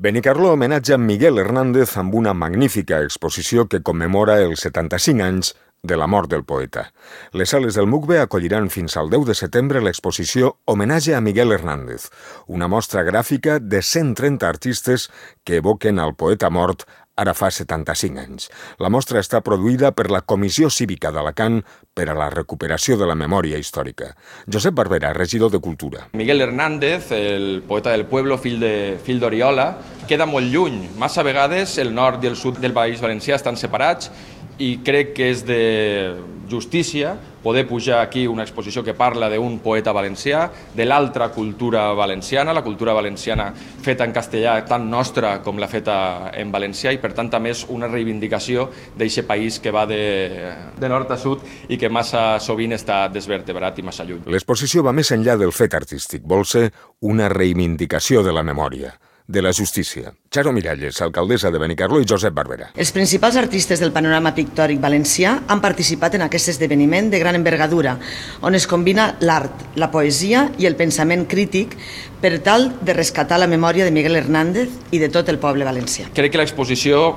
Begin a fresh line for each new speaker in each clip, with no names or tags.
Benicarló homenatja a Miguel Hernández amb una magnífica exposició que commemora els 75 anys de la mort del poeta. Les sales del MUCBE acolliran fins al 10 de setembre l'exposició Homenatge a Miguel Hernández, una mostra gràfica de 130 artistes que evoquen al poeta mort ara fa 75 anys. La mostra està produïda per la Comissió Cívica d'Alacant per a la recuperació de la memòria històrica. Josep Barbera, regidor de Cultura.
Miguel Hernández, el poeta del pueblo, fill d'Oriola, queda molt lluny. Massa vegades el nord i el sud del País Valencià estan separats i crec que és de justícia poder pujar aquí una exposició que parla d'un poeta valencià, de l'altra cultura valenciana, la cultura valenciana feta en castellà tan nostra com la feta en valencià, i per tant també és una reivindicació d'aquest país que va de nord a sud i que massa sovint està desvertebrat i massa lluny.
L'exposició va més enllà del fet artístic, vol ser una reivindicació de la memòria, de la justícia. Charo Miralles, alcaldessa de Benicarló, i Josep Barbera.
Els principals artistes del panorama pictòric valencià han participat en aquest esdeveniment de gran envergadura, on es combina l'art, la poesia i el pensament crític per tal de rescatar la memòria de Miguel Hernández i de tot el poble valencià.
Crec que l'exposició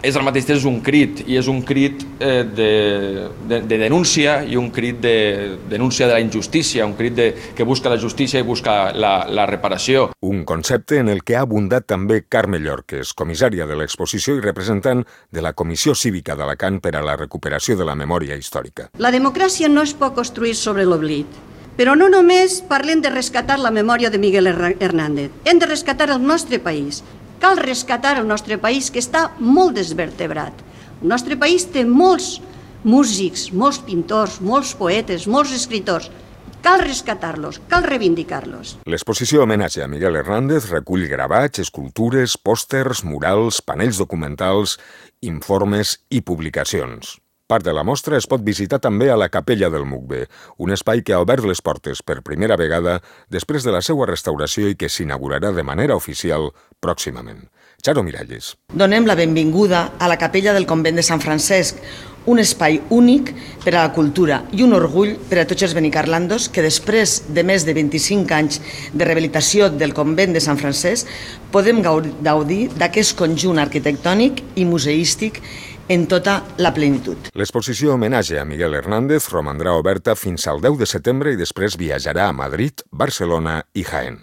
és al mateix temps un crit, i és un crit de denúncia i un crit de denúncia de la injustícia, un crit que busca la justícia i busca la reparació.
Un concepte en el que ha abundat també Carme Llorques, comissària de l'exposició i representant de la Comissió Cívica d'Alacant per a la recuperació de la memòria històrica.
La democràcia no es pot construir sobre l'oblit, però no només parlem de rescatar la memòria de Miguel Hernández, hem de rescatar el nostre país. Cal rescatar el nostre país, que està molt desvertebrat. El nostre país té molts músics, molts pintors, molts poetes, molts escriptors. Cal rescatar-los, cal reivindicar-los.
L'exposició Homenatge a Miguel Hernández recull gravats, escultures, pòsters, murals, panells documentals, informes i publicacions. Part de la mostra es pot visitar també a la Capella del MUCBE, un espai que ha obert les portes per primera vegada després de la seva restauració i que s'inaugurarà de manera oficial pròximament. Charo Miralles.
Donem la benvinguda a la Capella del Convent de Sant Francesc, un espai únic per a la cultura i un orgull per a tots els benicarlandos que després de més de 25 anys de rehabilitació del Convent de Sant Francesc podem gaudir d'aquest conjunt arquitectònic i museístic en tota la plenitud.
L'exposició Homenatge a Miguel Hernández romandrà oberta fins al 10 de setembre i després viatjarà a Madrid, Barcelona i Jaén.